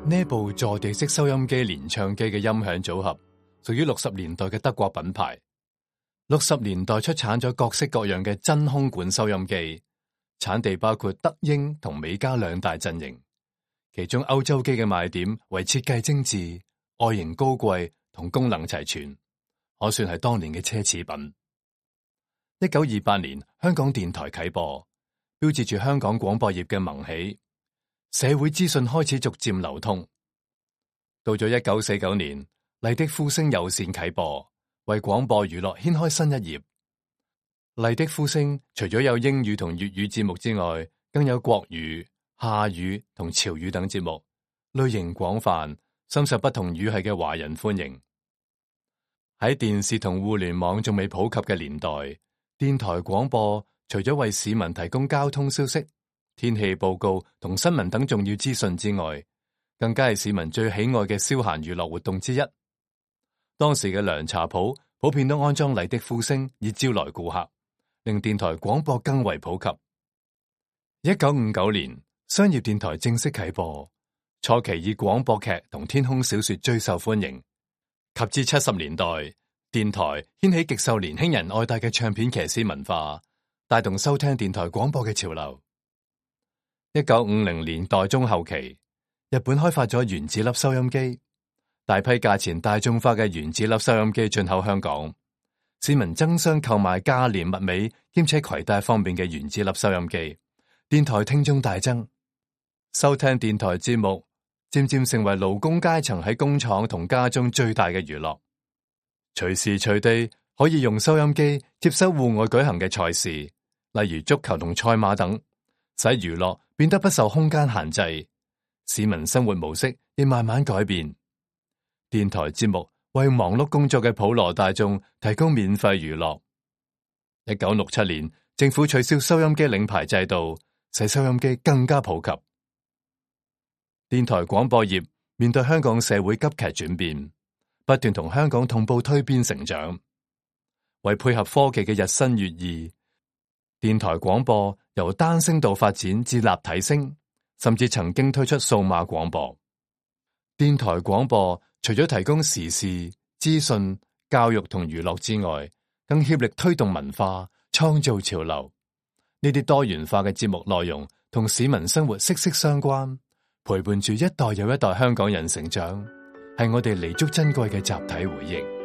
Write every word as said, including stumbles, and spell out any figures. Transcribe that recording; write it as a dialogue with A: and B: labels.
A: 呢部坐地式收音機連唱機嘅音響組合，屬於六十年代嘅德國品牌。六十年代出產咗各式各樣嘅真空管收音機，產地包括德英同美加兩大陣營。其中歐洲機嘅賣點為設計精緻、外形高貴同功能齊全，可算係當年嘅奢侈品。一九二八年，香港電台啟播，標誌住香港廣播業嘅萌起。社會資訊開始逐漸流通。到咗一九四九年，麗的呼聲有線啟播，為廣播娛樂掀開新一頁。麗的呼聲除咗有英語同粵語節目之外，更有國語、廈語同潮語等節目，類型廣泛，深受不同語系嘅華人歡迎。喺電視同互聯網仲未普及嘅年代，電台廣播除咗為市民提供交通消息、天氣報告同新聞等重要資訊之外，更加係市民最喜愛嘅消閒娛樂活動之一。當時嘅涼茶鋪普遍都安裝麗的呼聲以招來顧客，令電台廣播更為普及。一九五九年，商業電台正式啟播，初期以廣播劇同天空小說最受歡迎。及至七十年代，電台掀起極受年輕人愛戴嘅唱片騎師文化，帶動收聽電台廣播嘅潮流。一九五零年代中後期，日本開發咗原子粒收音機，大批價錢大眾化嘅原子粒收音機進口香港，市民爭相購買價廉物美兼且攜帶方便嘅原子粒收音機，電台聽眾大增，收聽電台節目漸漸成為勞工階層喺工廠同家中最大嘅娛樂，隨時隨地可以用收音機接收戶外舉行嘅賽事，例如足球同賽馬等，使娛樂變得不受空間限制，市民生活模式亦慢慢改變。電台節目為忙碌工作嘅普羅大眾提供免費娛樂。一九六七年，政府取消收音機領牌制度，使收音機更加普及。電台廣播業面對香港社會急劇轉變，不斷同香港同步推變成長。為配合科技嘅日新月異，電台廣播由單聲道發展至立體聲，甚至曾經推出數碼廣播。電台廣播除咗提供時事、資訊、教育同娛樂之外，更協力推動文化、創造潮流。呢啲多元化嘅節目內容同市民生活息息相關，陪伴住一代又一代香港人成長，係我哋彌足珍貴嘅集體回憶。